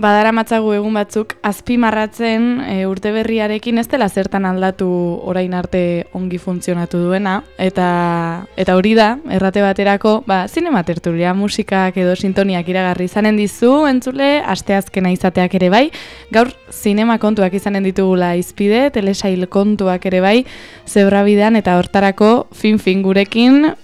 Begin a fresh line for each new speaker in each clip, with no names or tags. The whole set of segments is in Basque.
badaramatzagu egun batzuk azpimarratzen urte berriarekin ez dela zertan aldatu orain arte ongi funtzionatu duena, eta hori da, errate baterako, zinema tertulia, musikak edo sintoniak iragarri izanen dizu, entzule, asteazkena izateak ere bai, gaur zinema kontuak izanen ditugula izpide, telesail kontuak ere bai, zebrabidean eta hortarako fin gurekin,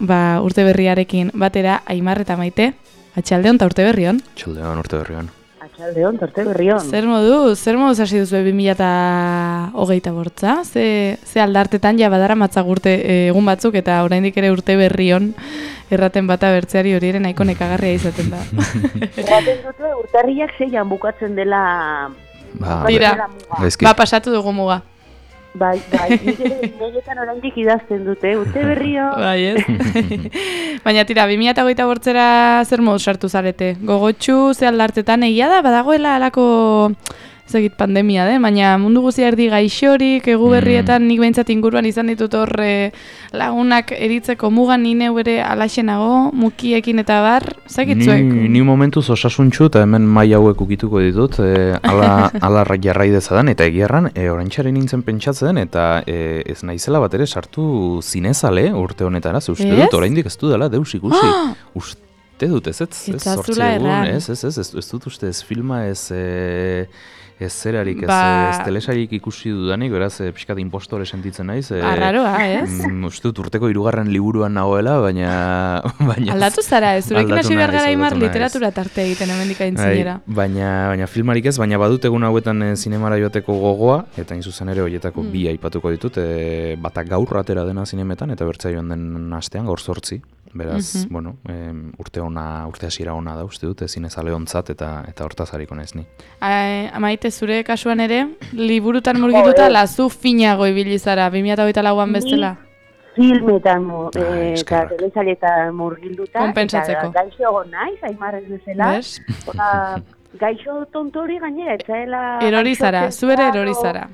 urte berriarekin batera, Aimar eta Maite, atxaldeon eta urte berrion.
Atxaldeon, urte berrion.
Atxaldeon, urte berrion.
Zer moduz hasi duzu 2024? Ze aldartetan ja badara matzagurte egun batzuk eta oraindik ere urte berrion erraten bata bertzeari hori ere nahiko nekagarria izaten da.
Erraten dute urtarriak 6an bukatzen dela.
Tira, pasatu dugu muga.
Bai, niretan oraindik idazten dute, urte berrio.
Bai, ez? Baina tira, 2028ra zer moduz sartu zarete? Gogotxu, ze aldartetan egia da, badagoela alako pandemia, baina mundu guzia erdi gaixorik, egu berrietan nik behintzat inguruan izan ditut horre lagunak eritzeko mugan nine ere alaxenago, mukiekin eta bar, zekitzuek?
Ni momentuz osasuntxu eta hemen mai hauek ukituko ditut, ala jarrai dezadan, eta egiarran, oraintxaren nintzen pentsatzen, eta ez naizela bat ere sartu zinezale urte honetara, ze uste dut, oraindik ez du dela, deus ikusi. Uste dut, ez sortzi egun, ez dut uste ez filma, ez zerarik, ez telesarik ikusi dudanik, beraz, pixkat impostore sentitzen naiz.
Arraroa, ez?
Uste dut urteko 3. liburuan nagoela, baina...
Aldatu zara, ez? Zurekin hasi behar gara Aimar literatura tarte egiten hemendik aintzinera.
Baina filmarik ez, baina badut egun hauetan zinemara joateko gogoa, eta inzuzen ere horietako bi aipatuko ditut, batak gaur atera dena zinemetan, eta bertzea joan den astean, gaur 8. Beraz, urte hasiera ona da, uste dut, zinezale ontzat eta hortaz hariko naiz ni.
Maite, zure kasuan ere, liburutan murgituta lazu finago ibili zara, 2024an bestela?
Filmetan eta telesailetan murgilduta.
Konpentsatzeko.
Eta gaixo naiz, Aimar ez bezala. Gaixo tontori gainera, etzaela...
Erori zara, zu ere erori zara.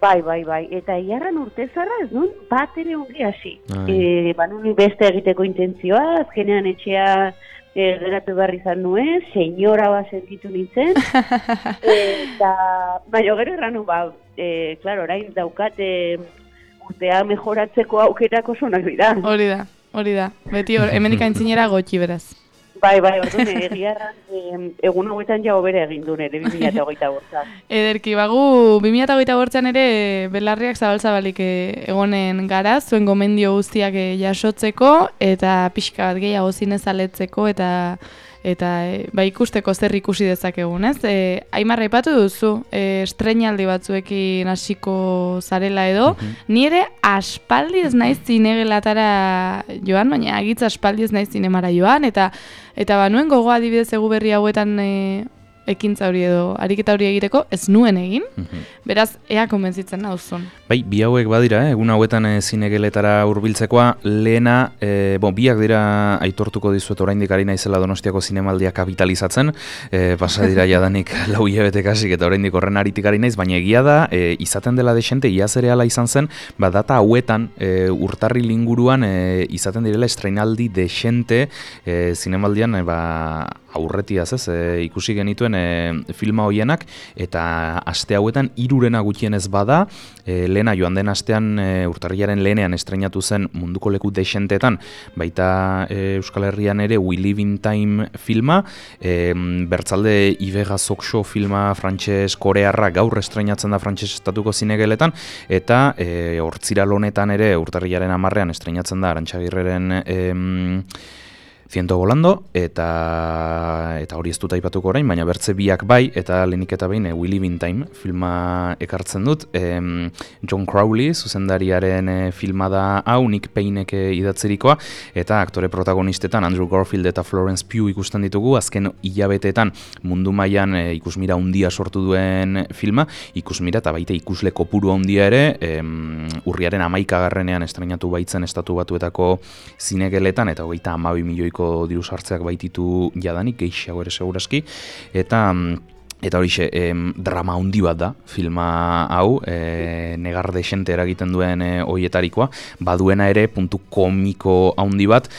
Bai, eta iarran urte zarra ez nun bat ere ongi hasi. Banun beste egiteko intentzioa, azkenean etxea geratu behar izan nuen, senyora bat sentitu nintzen. Baina gero erranu, klaro, orain daukat urtea mejoratzeko aukerako sonak dira.
Hori da. Beti hemendik aintzinera gotxi beraz.
Bai, orduan egiarran egun hauetan jau bere egin du nire 2028.
Ederki, 2028an ere belarriak zabal-zabalik egonen gara, zuen gomendio guztiak jasotzeko, eta pixka bat gehiago zinezaletzeko, eta ikusteko zer ikusi dezakegun, ez? Aimar aipatu duzu, estreinaldi batzuekin hasiko zarela edo, ni ere aspaldi ez naiz zinegelatara joan, baina agitz aspaldi ez naiz zinemara joan, eta banuen gogoa adibidez egu berri hauetan ekintza hori edo ariketa hori egiteko ez nuen egin, beraz ea konbentzitzen nauzun.
Bai, bi hauek badira, egun hauetan zinegeletara hurbiltzekoa, lehena, biak dira aitortuko dizuet oraindik ari naizela Donostiako zinemaldia kapitalizatzen, pasa dira jadanik 4 hilabete kasik eta oraindik horren aritik ari naiz, baina egia da, izaten dela desente, iaz ere hala izan zen, data hauetan urtarril inguruan izaten direla estreinaldi desente zinemaldian aurretiaz ez, ikusi genituen filma hoienak, eta aste hauetan 3 gutxienez bada, lehena joan den astean urtarrilaren lehenean estreinatu zen munduko leku desentetan, baita Euskal Herrian ere We Live in Time filma, bertzalde Ibega Zoxo filma frantses-korearra gaur estreinatzen da frantses estatuko zinegeletan, eta hortziral honetan ere urtarrilaren 10ean estreinatzen da Arantxagirreren Ciento volando, eta hori ez dut aipatuko orain, baina bertze biak bai, eta lehenik eta behin We Live in Time filma ekartzen dut. John Crowley, zuzendariaren filma da hau, Nick Paynek idatzerikoa, eta aktore protagonistetan Andrew Garfield eta Florence Pugh ikusten ditugu, azken hilabeteetan mundu mailan ikusmira handia sortu duen filma, ikusmira eta baita ikusle kopuru handia ere, urriaren 11ean estreinatu baitzen Estatu Batuetako zinegeletan, eta 32 milioiko diru sartzeak baititu jadanik, gehiago ere seguraski, eta Eta horixe, drama handi bat da, filma hau, negar desente eragiten duen hoietarikoa, baduena ere puntu komiko handi bat,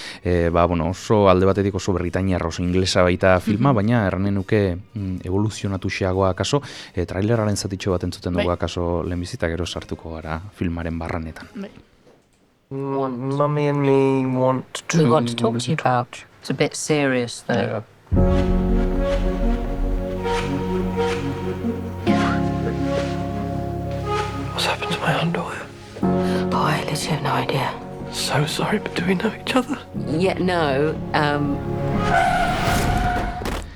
oso alde batetik oso Britainiar, oso inglesa baita filma, baina erranen nuke evoluzionatu xeagoa akaso, traileraren zatitxo bat entzuten dugu akaso lehenbizita, gero sartuko gara filmaren barranetan.
Mummy and me want to...
We want to talk to you about. It's a bit serious, though.
What's happened to my underwear?
Oh, I literally have no idea.
So sorry, but do we know each other?
Yeah, no,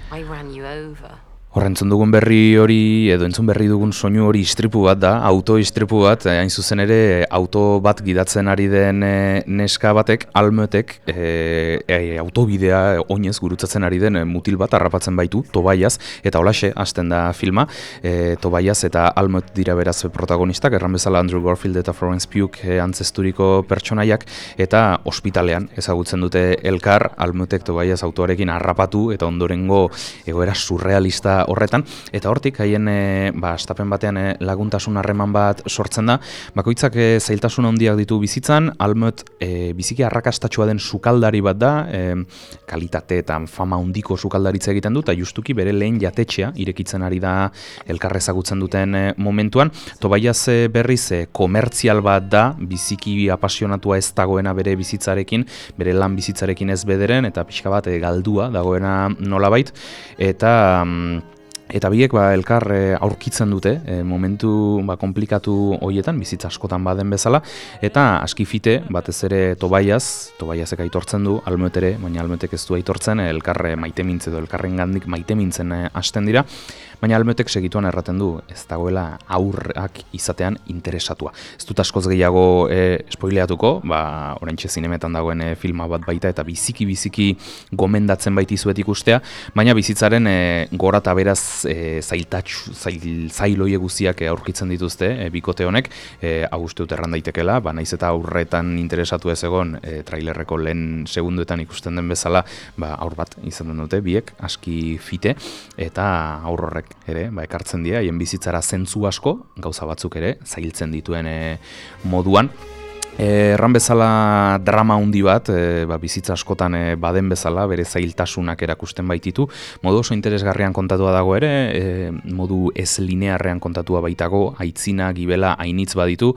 I ran you over.
Entzun dugun berri hori, edo entzun berri dugun soinu hori istripu bat da, auto istripu bat, hain zuzen ere auto bat gidatzen ari den neska batek, Almutek, autobidea oinez gurutzatzen ari den mutil bat harrapatzen baitu, Tobias, eta holaxe hasten da filma, Tobias eta Almut dira beraz protagonistak, erran bezala Andrew Garfield eta Florence Pugh antzesturiko pertsonaiak, eta ospitalean ezagutzen dute elkar, Almutek Tobias autoarekin harrapatu, eta ondorengo egoera surrealista horretan, eta hortik haien astapen batean laguntasun harreman bat sortzen da, bakoitzak zailtasun handiak ditu bizitzan, Almut biziki arrakastatsua den sukaldari bat da, kalitate eta fama handiko sukaldaritza egiten du, eta justuki bere lehen jatetxea irekitzen ari da elkar ezagutzen duten momentuan. Tobias berriz komertzial bat da, biziki apasionatua ez dagoena bere bizitzarekin, bere lan bizitzarekin ez bederen, eta pixka bat galdua dagoena nolabait, eta biek elkar aurkitzen dute momentu komplikatu horietan, bizitza askotan baden bezala, eta askifite batez ere Tobiasek aitortzen du, Almut ere, baina Almutek ez du aitortzen, elkar maitemintzen edo elkarren gandik maitemintzen hasten dira, baina Almutek segituan erraten du, ez dagoela aurrak izatean interesatua. Ez dut askoz gehiago spoileatuko, oraintxe zinemetan dagoen filma bat baita, eta biziki gomendatzen baitizuet ikustea, baina bizitzaren gora eta beraz zailoie guziak aurkitzen dituzte bikote honek, hau uste dut erran daitekela, naiz eta aurretan interesatu ez egon trailerreko lehen segunduetan ikusten den bezala, aur bat izaten dute biek, aski fite, eta aur horrek ere, ekartzen dira, haien bizitzara zentzu asko, gauza batzuk ere, zailtzen dituen moduan. Erran bezala drama handi bat, bizitza askotan baden bezala, bere zailtasunak erakusten baititu, modu oso interesgarrian kontatua dago ere, modu ez linearrean kontatua baitago, aitzina, gibela, ainitz baditu,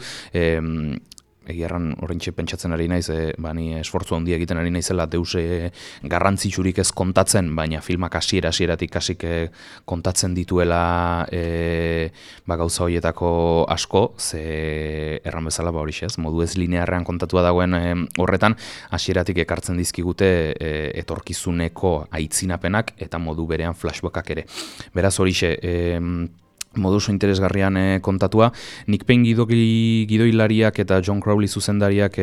egiarran oraintxe pentsatzen ari naiz, ni esfortzu handia egiten ari naizela deuse garrantzitsurik ez kontatzen, baina filmak hasieratik kasik kontatzen dituela gauza horietako asko, ze erran bezala horixe ez, modu ez linearrean kontatua dagoen horretan, hasieratik ekartzen dizkigute etorkizuneko aitzinapenak eta modu berean flashbackak ere. Beraz horixe, modu oso interesgarrian kontatua. Nick Payne gidoilariak eta John Crowley zuzendariak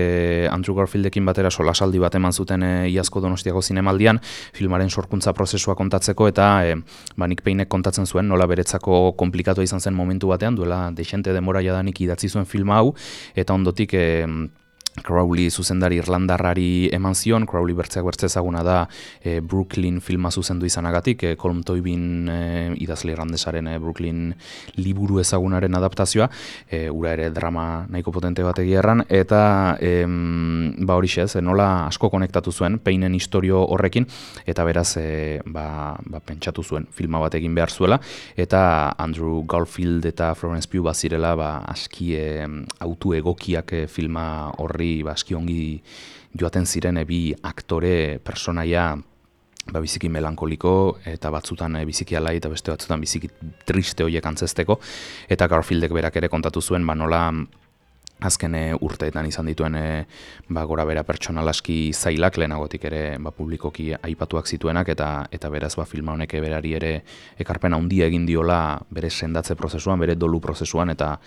Andrew Garfieldekin batera solasaldi bat eman zuten iazko Donostiako zinemaldian filmaren sorkuntza prozesua kontatzeko, eta Nick Paynek kontatzen zuen nola beretzako konplikatua izan zen momentu batean, duela dexente denbora jadanik idatzi zuen filma hau, eta ondotik Crowley zuzendari irlandarrari eman zion. Crowley bertzeak bertze ezaguna da Brooklyn filma zuzendu izanagatik, Colm Toibin idazle irlandesaren Brooklyn liburu ezagunaren adaptazioa, ura ere drama nahiko potente bat egierran, eta horixe ez, nola asko konektatu zuen Paynen historio horrekin, eta beraz pentsatu zuen filma bat egin behar zuela, eta Andrew Garfield eta Florence Pugh bazirela aski autu egokiak filma horri aski ongi joaten ziren bi aktore personaia biziki melankoliko eta batzutan biziki alai eta beste batzutan biziki triste horiek antzesteko, eta Garfieldek berak ere kontatu zuen nola azken urteetan izan dituen gora bera pertsonal aski zailak, lehenagotik ere publikoki aipatuak zituenak, eta beraz filma honek berari ere ekarpen handia egin diola bere sendatze prozesuan, bere dolu prozesuan, eta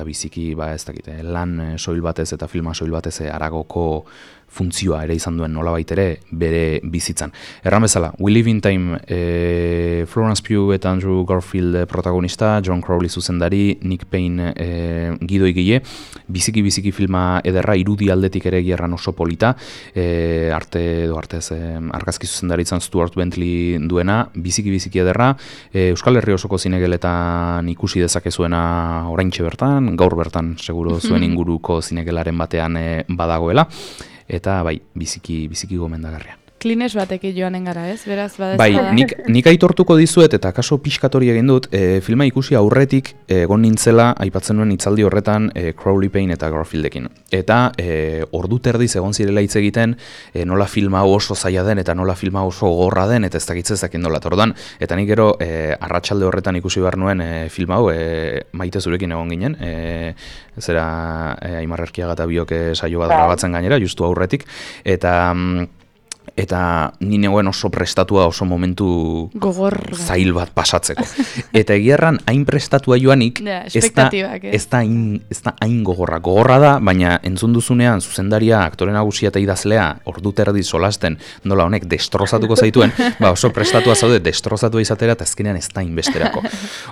biziki ez dakit, lan soil batez eta filma soil batez aragoko funtzioa ere izan duen nolabait ere bere bizitzan. Erran bezala, We Live in Time, Florence Pugh eta Andrew Garfield protagonista, John Crowley zuzendari, Nick Payne gidoigile, biziki filma ederra, irudi aldetik ere gierran oso polita, artez argazki zuzendaritzan Stuart Bentley duena, biziki ederra, Euskal Herri osoko zinegeletan ikusi dezakezuena oraintxe bertan, gaur bertan seguro zuen inguruko zinegelaren batean badagoela, eta bai, biziki gomendagarria.
Klines batekin joanen gara, ez? Beraz,
bai, nik aitortuko dizuet, eta kaso pixkatori egin dut, filma ikusi aurretik egon nintzela, aipatzen nuen hitzaldi horretan Crowley Payne eta Garfieldekin. Eta ordu terdiz egon zirela hitz egiten, nola filma oso zaila den, eta nola filma oso gogorra den, eta ez dakitzezakin nola tordan. Eta nik gero, arratsalde horretan ikusi behar nuen film hau, Maite zurekin egon ginen, zera Aimar Erkiaga eta biok saio bat grabatzen gainera, justu aurretik, eta ni negoen oso prestatua, oso momentu zail bat pasatzeko. Eta egierran hain prestatua joanik, ez da hain gogorra. Gogorra da, baina entzun duzunean zuzendaria, aktore nagusia eta idazlea, ordu terdi solasten, nola honek destrozatuko zaituen, oso prestatua zaude, destrozatua izatera, eta azkenean ez da inbesterako.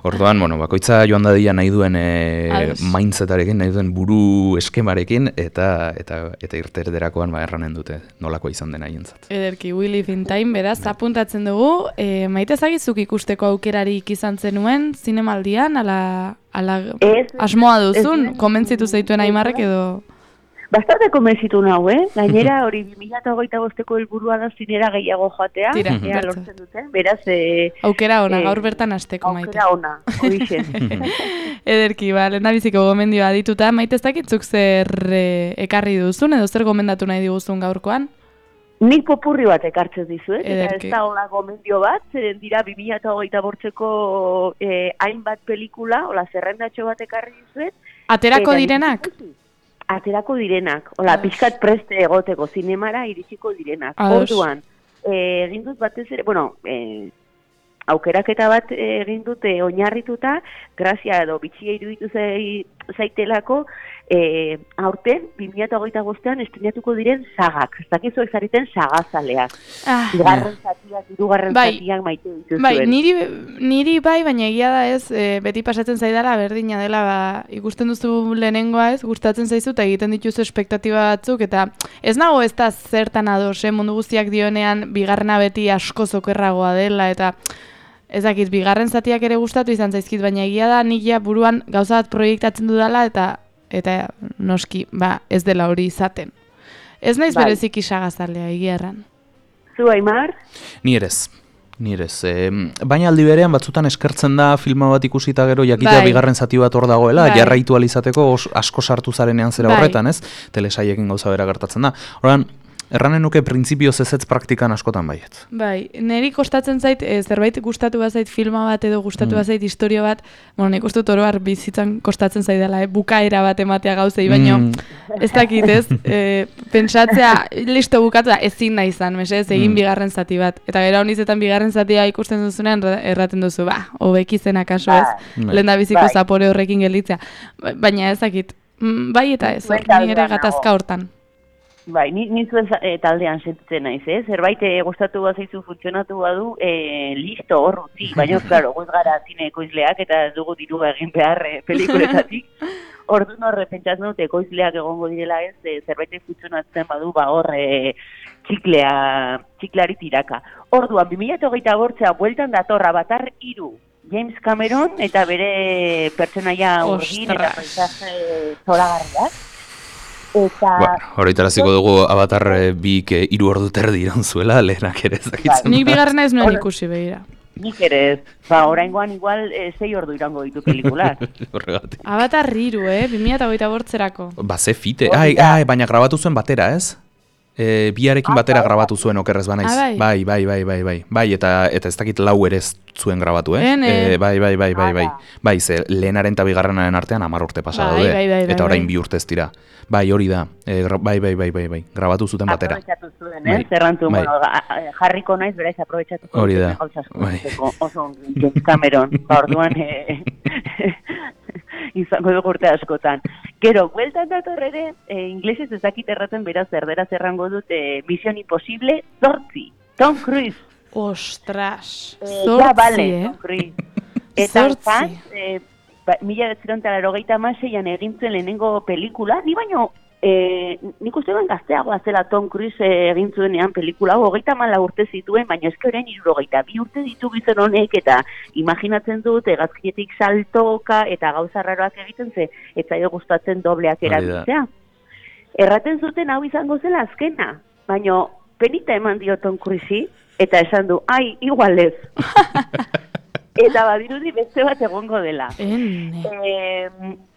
Orduan, bakoitza joan dadia nahi duen mindsetarekin, nahi duen buru eskemarekin, eta irterderakoan erranen dute nolakoa izan dena haientzat.
Ederki, We Live in Time, beraz, apuntatzen dugu. Maite zagizuk ikusteko aukerarik izan zenuen, zinemaldian, ala asmoa duzun, konbentzitu zaituen Aimarrek edo...
Bastante konbentzitu nahu, Gainera, hori 2025ko helburua da zinera gehiago joatea.
Tira,
lortzen dute, beraz...
Aukera ona, gaur bertan hasteko, Maite.
Aukera ona, horixe.
Ederki, lehendabiziko gomendioa dituta, Maite ez dakitzuk zer ekarri duzun, edo zer gomendatu nahi diguzun gaurkoan?
Nik popurri bat ekartzen dizuet, eta ez da hola gomendio bat, zeren dira 2025ko hainbat pelikula, hola zerrendatxo bat ekarri dizuet.
Aterako direnak?
Aterako direnak, hola pixkat preste egoteko, zinemara iritsiko direnak. Orduan, egin dut batez ere, aukeraketa bat egin dute oinarrituta, grazia edo bitxia iruditu zaitelako, aurten 2025an estrenatuko diren sagak. Ez dakizuek zareten sagazaleak. Bigarren zatiak, hirugarren zatiak maite dituzuen.
Bai, niri bai, baina egia da ez, beti pasatzen zaidala berdina dela, ikusten duzu lehenengoa ez, gustatzen zaizu eta egiten dituzu espektatiba batzuk, eta ez nago ez da zertan ados, mundu guztiak dionean bigarrena beti asko zokerragoa dela, eta ez dakit, bigarren zatiak ere gustatu izan zaizkit, baina egia da nik ja buruan gauza bat proiektatzen dudala, eta noski, ez dela hori izaten. Ez naiz bereziki sagazalea, egia erran.
Zu, Aimar?
Ni erez. Baina aldi berean batzutan eskertzen da filma bat ikusita gero jakitea bigarren zati bat hor dagoela, jarraitu alizateko asko sartu zarenean zera horretan, ez? Telesaiekin gauza bera gertatzen da. Horrean, erranen nuke printzipioz ezetz praktikan askotan baiet.
Bai, niri kostatzen zait, zerbait gustatu bazait filma bat edo gustatu bazait historio bat, nik uste dut oroar bizitzan kostatzen zaidala, bukaera bat ematea gauzei, baino ez dakit ez, pentsatzea, listo bukatu da, ezin nahi izan, egin bigarren zati bat. Eta gero honizetan bigarren zatia ikusten duzunean erraten duzu, hobeki zen akaso ez, lehendabiziko zapore horrekin gelditzea. Baina ez dakit, bai eta ez, ni ere gatazka hortan.
Bai, ni zuen taldean sentitzen naiz, zerbait gustatu bazaizu funtzionatu badu, listo, hor utzi, baina, klaro, goz gara zine ekoizleak eta ez dugu dirua egin behar pelikuletatik. Orduan horre pentsatzen dut ekoizleak egongo direla ez, zerbait funtzionatzen badu, hor txiklari tiraka. Orduan, 2025 bueltan datorra Avatar 3, James Cameron eta bere pertsonaia urgin eta paisaje zoragarriak.
Horretaraziko dugu Avatar 2 3 ordu terdi iran zuela, lehenak ere ezakitzen.
Nik bigarrena ez nuen ikusi behira.
Nik ere ez, oraingoan igual 6 ordu irango ditu pelikular.
Avatar 3, 2025erako.
Ze fite, baina grabatu zuen batera, ez? Biarekin batera grabatu zuen okerrez banaiz. Bai. Bai, eta ez dakit lau ere zuen grabatu, Bai, ze lehenaren eta bigarrenaren artean 10 urte pasa daude. Eta orain 2 urte ez dira. Bai, hori da. Bai. Grabatu zuten batera.
Aprobetxatu zuen, zerrantu, jarriko naiz, beraz, aprobetxatuko.
Hori da.
Oso James Cameron, orduan izango dugu urte askotan. Gero, bueltan dator ere, inglesez ezakit erraten beraz erderaz errango dut Mission Impossible 8, Tom Cruise.
Ostras, 8,
Tom Cruise. Eta 1986an egin zuen lehenengo pelikula, ni baino nik uste ben gazteagoa zela Tom Cruise egin zuenean pelikula, 34 urte zituen, baina eske orain 62 urte ditu gizon honek, eta imaginatzen dut hegazkinetik saltoka eta gauza raroak egiten ze, ez zaio gustatzen dobleak erabiltzea. Erraten zuten hau izango zela azkena, baina penita eman dio Tom Cruise eta esan du, ai, igual ez. Eta badirudi beste bat egongo dela.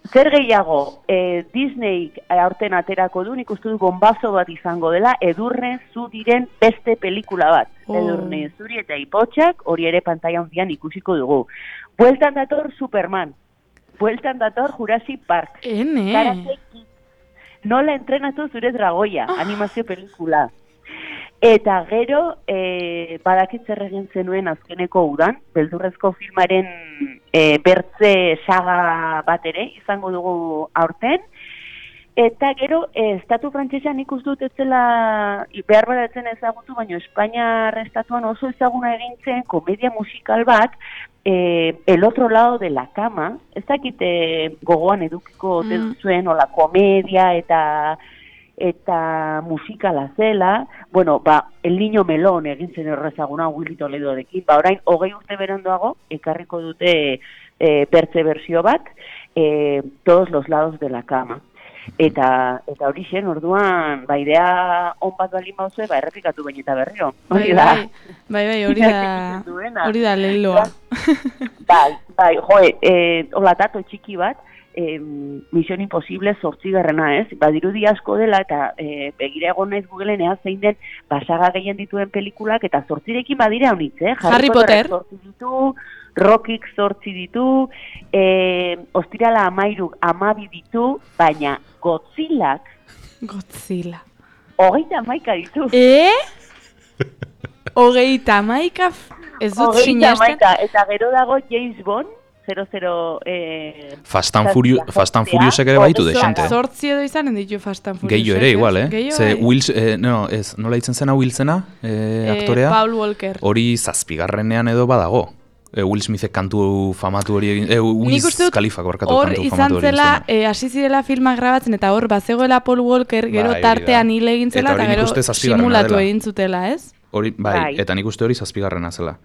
Zer gehiago, Disney aurten aterako du, nik uste du bombazo bat izango dela, Edurne Zuriren beste pelikula bat. Edurne Zuri eta Ipotxak, hori ere pantaila handian ikusiko dugu. Bueltan dator Superman, bueltan dator Jurassic Park. Karate Kid, nola entrenatu zure dragoia, animazio pelikula. Eta gero, badakit zer egin zenuen azkeneko udan, beldurrezko filmaren bertze saga bat ere izango dugu aurten. Eta gero, estatu frantsesean ikus dut etzela, behar badatzen ezagutu, baina Espainiar estatuan oso ezaguna egin zen komedia musikal bat, El otro lado de la cama, ez dakit gogoan edukiko zuen, ola komedia eta musikala zela, bueno, El Niño Melón egin zen errezaguna Willy Toledorekin, orain 20 urte beranduago ekarriko dute bertze bersio bat, Todos los lados de la cama. Eta hori zen, orduan, idea on bat balin bauzue, errepikatu baino eta berriro.
Bai, hori da leiloa.
Hola, tato txiki bat, Misión Imposible 8. Ez? Badirudi asko dela, eta begira egon naiz Googleen zein den basaga gehien dituen pelikulak, eta 8rekin badira honitz,
Harry Potter
8 ditu, Rockik 8 ditu, Ostirala 12 ditu, baina Godzilla 31 ditu.
31? Ez dut sinesten.
Eta gero dago James Bond, 00...
Fast and Furious ere baitu desente.
8 edo izanen ditu Fast and Furious.
Gehiago ere, igual, Ze Wills, nola hitzen zena Wilsena, aktorea?
Paul Walker.
Hori 7. edo badago. Will Smithek kantu famatu hori egin, Wiz Khalifak barkatu kantu famatu hori egin zena.
Hor izan zela, hasi zirela filmak grabatzen, eta hor bazegoela Paul Walker, gero tartean hile egin zela, eta gero simulatu egin zutela, ez?
Hori, eta nik uste hori 7. zela.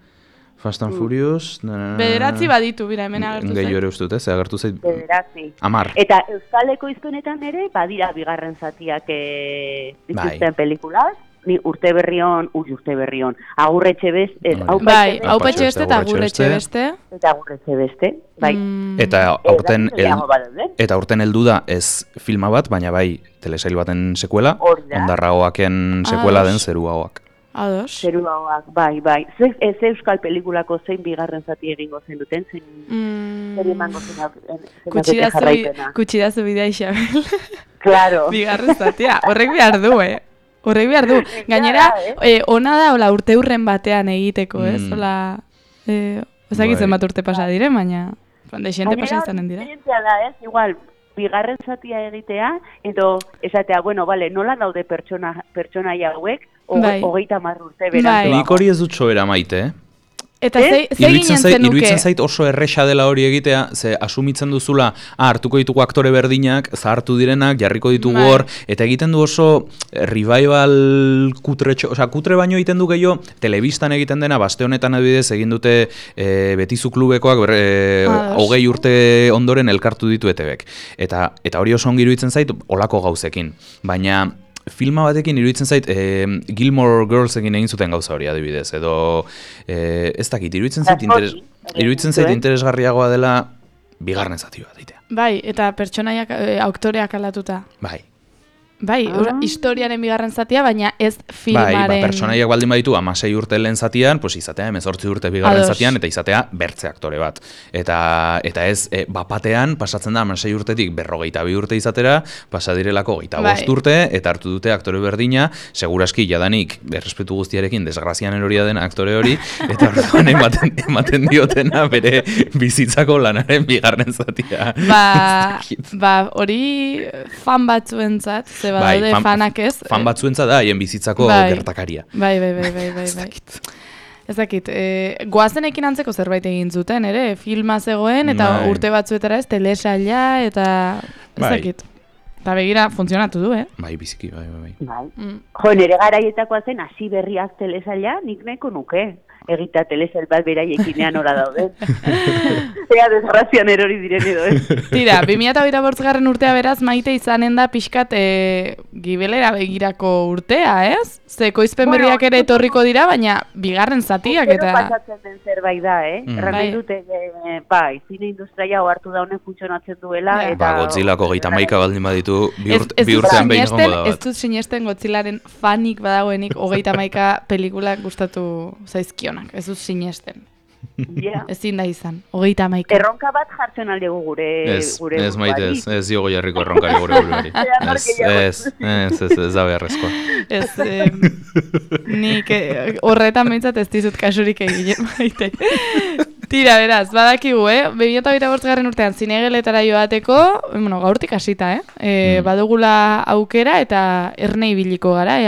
Fast and Furious...
Bederatzi baditu, bira, hemen agertu zait.
Gehiago ere uste dut, agertu zait...
Bederatzi.
10.
Eta Euskaleko iztunetan ere, badira bigarren zatiak dituzten pelikulaz, ni urte berrion, Agurretxe beste,
Aupetxe beste eta Agurretxe beste.
Eta Agurretxe beste, bai.
Eta aurten heldu da ez filma bat, baina bai telesail baten sekuela, Ondarragoaken sekuela den Zeruagoak.
Ados.
Zeruagoak, bai. Ez euskal pelikulako zein bigarren zati egingo zen duten, zer emango zen jarraipena.
Kutsidazu bidea Isabel.
Claro.
Bigarren zatia, horrek behar du, Horrek behar du. Gainera, ona da, urte hurren batean egiteko, ez? Ezakitzen bat urte pasa dire, baina desente pasa izanen dira.
Gainera, da, ez? Igual, bigarren zatia egitea, edo esatea, bueno, vale, nola daude pertsona hauek, 30 urte beranduago.
Nik hori ez dut sobera maite,
Eta ze ginen zenuke?
Iruditzen zait oso erresa dela hori egitea, ze asumitzen duzula, hartuko ditugu aktore berdinak, zahartu direnak, jarriko ditugu hor, eta egiten du oso revival kutre baino egiten du gehiago, telebistan egiten dena, baste honetan adibidez, egin dute Betizu klubekoak, 20 urte ondoren elkartu ditu ETBek. Eta hori oso ongi iruditzen zait, olako gauzekin. Baina filma batekin iruditzen zait Gilmore Girlsekin egin zuten gauza hori adibidez, edo ez dakit, iruditzen zait interesgarriagoa dela bigarren zati bat egitea.
Bai, eta pertsonaiak, aktoreak aldatuta. Bai, historiaren bigarren zatia, baina ez filmaren...
Bai, pertsonaiak baldin baditu 16 urte lehen zatian, pues izatea 18 urte bigarren zatian, eta izatea bertze aktore bat. Eta ez, bapatean, pasatzen da 16 urtetik 42 urte izatera, pasa direlako 25 urte, eta hartu dute aktore berdina, seguraski jadanik, errespetu guztiarekin, desgrazianen hori den aktore hori, eta orduan ematen diotena bere bizitzako lanaren bigarren zatia.
Hori fan batzuentzat,
fanak ez. Fan batzuentza da, haien bizitzako gertakaria.
Bai. Ez dakit, goazenekin antzeko zerbait egin zuten, ere, filma zegoen, eta urte batzuetara ez, telesaila, eta ez dakit. Eta begira, funtzionatu du,
Bai, biziki, bai.
Jo, nire garaietakoa zen, hasi berriak telesaila, nik nahiko nuke. Egita telesail bat beraiekinean ora dauden. Ea desgrazian erori diren edo,
Tira, 2008 urtea beraz, Maite izanen da pixkat gibelera begirako urtea, ez? Ze koizpen berriak ere etorriko dira, baina bigarren zatiak eta...
pasatzen den zerbait da, Erran dute, bai, zine industria hartu da honen funtzionatzen duela, eta...
Ba, Godzillako 31 baldin baditu, bi urtean behin egongo da bat.
Ez dut sinesten Godzillaren fanik badagoenik 31 pelikulak gustatu zaizkionak, ez dut sinesten. Ezin da izan, 31.
Erronka bat jartzen aldegu gure...
Ez Maite, ez diogo jarriko erronkari gure buruari. Ez da beharrezkoa.
Nik horretan behintzat ez dizut kasurik egin, Maite. Tira, beraz, badakigu, 2008 urtean zinegeletara joateko, gaurtik hasita, badugula aukera eta erne ibiliko gara,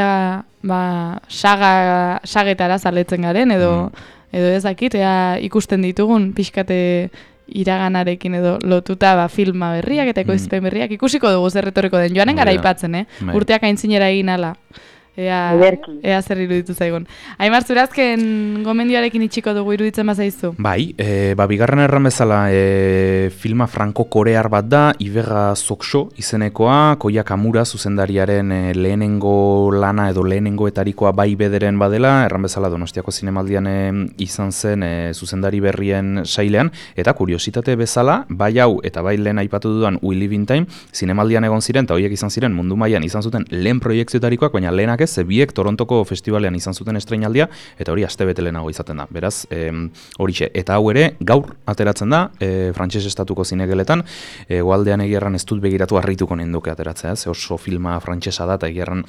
sagetara zaletzen garen, edo ez dakit, ikusten ditugun pixkate iraganarekin edo lotuta filma berriak eta ekoizpen berriak ikusiko dugu zer etorriko den. Joanen gara aipatzen, urteak aintzinera egin ala. Ea zer iruditu zaigun. Aimar, zurazken gomendioarekin itxiko dugu iruditzen bazaizu?
Bai, bigarren erran bezala filma franko-korear bat da, Ibega Soksho izenekoa, Koya Kamura zuzendariaren lehenengo lana edo lehenengoetarikoa bai bederen badela, erran bezala Donostiako zinemaldian izan zen zuzendari berrien sailean, eta kuriositate bezala, bai hau eta bai lehen aipatu dudan We Live in Time, zinemaldian egon ziren, eta horiek izan ziren mundu mailan izan zuten lehen proiektziotarikoak, baina lehenak biek Torontoko festivalean izan zuten estreinaldia, eta hori astebete lehenago izaten da. Beraz, horixe. Eta hau ere, gaur ateratzen da, frantses estatuko zinegeletan, goaldean egierran ez dut begiratu harrituko nenduke ateratzea, ze oso filma frantsesa da, eta egierran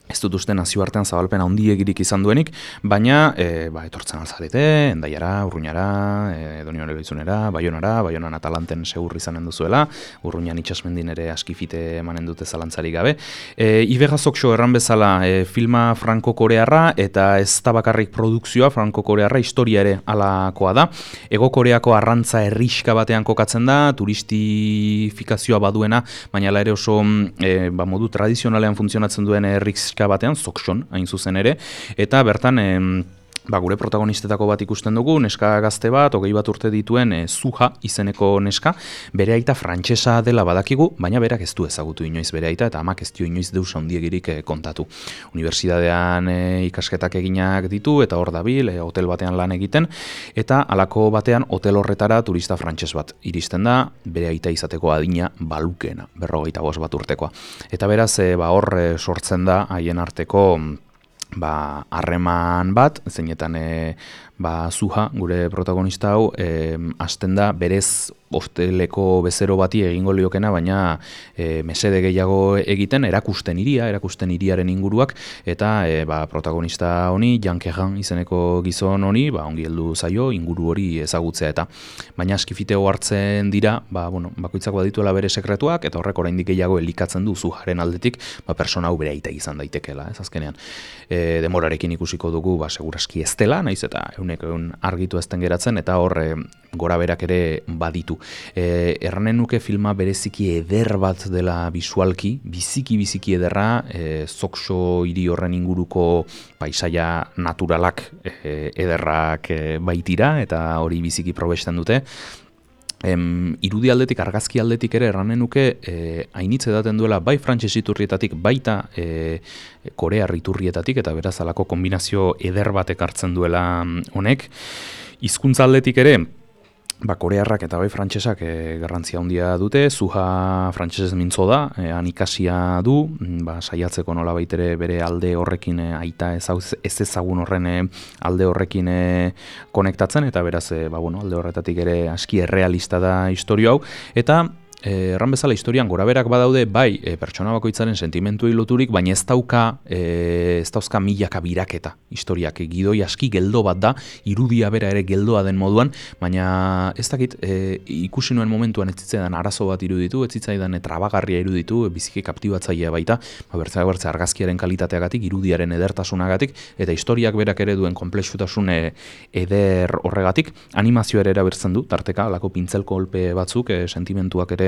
ez dut uste nazioartean zabalpen handiegirik izan duenik, baina etortzen alzarete, Endaiara, Urruñara, Donibane Lohizunera, Baionan Atalanten segur izanen duzuela, Urruñan itxasmendin ere askifite emanen dute zalantzarik gabe. Ibega Soksho erran bezala filma franko-korearra, eta ez da bakarrik produkzioa franko-korearra, historia ere alakoa da. Ego Koreako arrantza herrixka batean kokatzen da, turistifikazioa baduena, baina ere oso modu tradizionalean funtzionatzen duen herrix batean, Sokshon, hain zuzen ere, eta bertan gure protagonistetako bat ikusten dugu, neska gazte bat, 20 bat urte dituen Suha izeneko neska, bere aita frantsesa dela badakigu, baina berak ez du ezagutu inoiz bere aita, eta amak ez dio inoiz deus handiegirik kontatu. Unibertsitatean ikasketak eginak ditu, eta hor dabil, hotel batean lan egiten, eta halako batean hotel horretara turista frantses bat iristen da, bere aita izateko adina balukena, 45 bat urtekoa. Eta beraz, hor sortzen da haien arteko harreman bat, zeinetan Suha, gure protagonista hau, hasten da berez hosteleko bezero bati egingo liokena, baina mesede gehiago egiten, erakusten hiriaren inguruak, eta protagonista honi, Jan Kejan izeneko gizon honi, ongi heldu zaio, inguru hori ezagutzea eta. Baina askifiteo hartzen dira, bakoitzak badituela bere sekretuak, eta horrek oraindik gehiago elikatzen du Suharen aldetik, persona hau bere aita izan daitekeela, ez azkenean. Demorarekin ikusiko dugu, seguraski ez dela, naiz eta egun argitu ezten geratzen, eta hor gora berak ere baditu. Erranen nuke filma bereziki eder bat dela bisualki, biziki ederra, Soksho hiri horren inguruko paisaia naturalak ederrak baitira, eta hori biziki probesten dute. Irudi aldetik, argazki aldetik ere erranen nuke hainitz edaten duela bai frantses iturrietatik, baita korear iturrietatik, eta beraz alako kombinazio eder batek hartzen duela honek. Hizkuntza aldetik ere, korearrak eta bai frantsesak garrantzia handia dute, Suha frantsesez mintzo da, han ikasia du, saiatzeko nola baitere bere alde horrekin aita ez ezagun horren alde horrekin konektatzen, eta beraz alde horretatik ere aski errealista da istorio hau, eta erran bezala historian goraberak badaude, bai, pertsona bakoitzaren sentimentuei loturik, baina ez dauzka milaka biraketa historiak. Gidoi aski geldo bat da, irudia bera ere geldoa den moduan, baina ez dakit, ikusi nuen momentuan ez zitzaidan arazo bat iruditu, ez zitzaidan trabagarria iruditu, biziki kaptibatzailea baita, bertze argazkiaren kalitateagatik, irudiaren edertasunagatik, eta historiak berak ere duen konplexutasun eder horregatik, animazioa ere erabertzen du, tarteka, alako pintzel kolpe batzuk, sentimentuak ere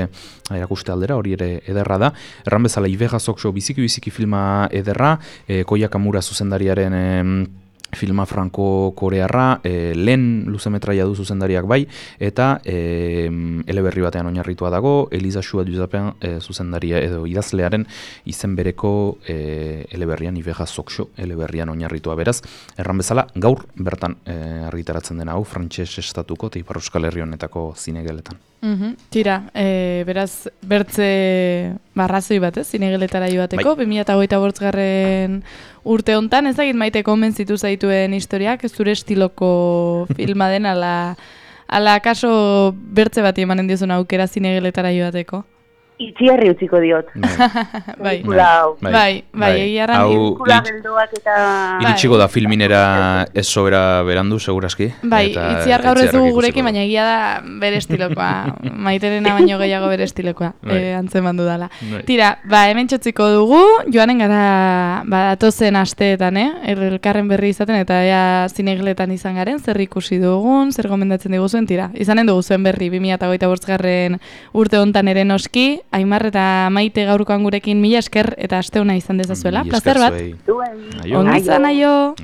erakuste aldera, hori ere ederra da. Erran bezala, Ivega Sokso biziki filma ederra, Koya Kamura zuzendariaren filma franko-korearra, lehen luzemetraia du zuzendariak bai, eta eleberri batean oinarritua dago, Eliza Shua Duzapen zuzendaria edo idazlearen izen bereko eleberrian, Ivega Sokso eleberrian oinarritua beraz. Erran bezala, gaur bertan argitaratzen dena hau, frantses estatuko eta Ipar Euskal Herri honetako zinegeletan.
Tira, beraz, bertze barrazoi bat, zinegeletara joateko, 2025 urte hontan, ezagit Maite konbentzitu zaituen historiak, ez zure estiloko filma den, ala kaso bertze bati emanen diozun aukera zinegeletara joateko?
Itziarri utziko diot.
Bai, egiarran
pelikula geldoak eta...
Iritsiko da filminera ez sobera berandu, segurazki.
Bai, Itziar gaur ez dugu gurekin, baina egia da bere estilokoa. Maiterena baino gehiago bere estilokoa, antzeman dudala. Tira, hemen txotziko dugu, joanen gara datozen asteetan, elkarren berri izaten, eta ea zinegeletan izan garen, zer ikusi dugun, zer gomendatzen diguzuen, tira. Izanen dugu zuen berri, 2025 urte hontan ere noski, Aimar eta Maite gaurkoan gurekin mila esker eta aste ona izan dezazuela. Plazer bat.
Duen.
Ongi izan, aio.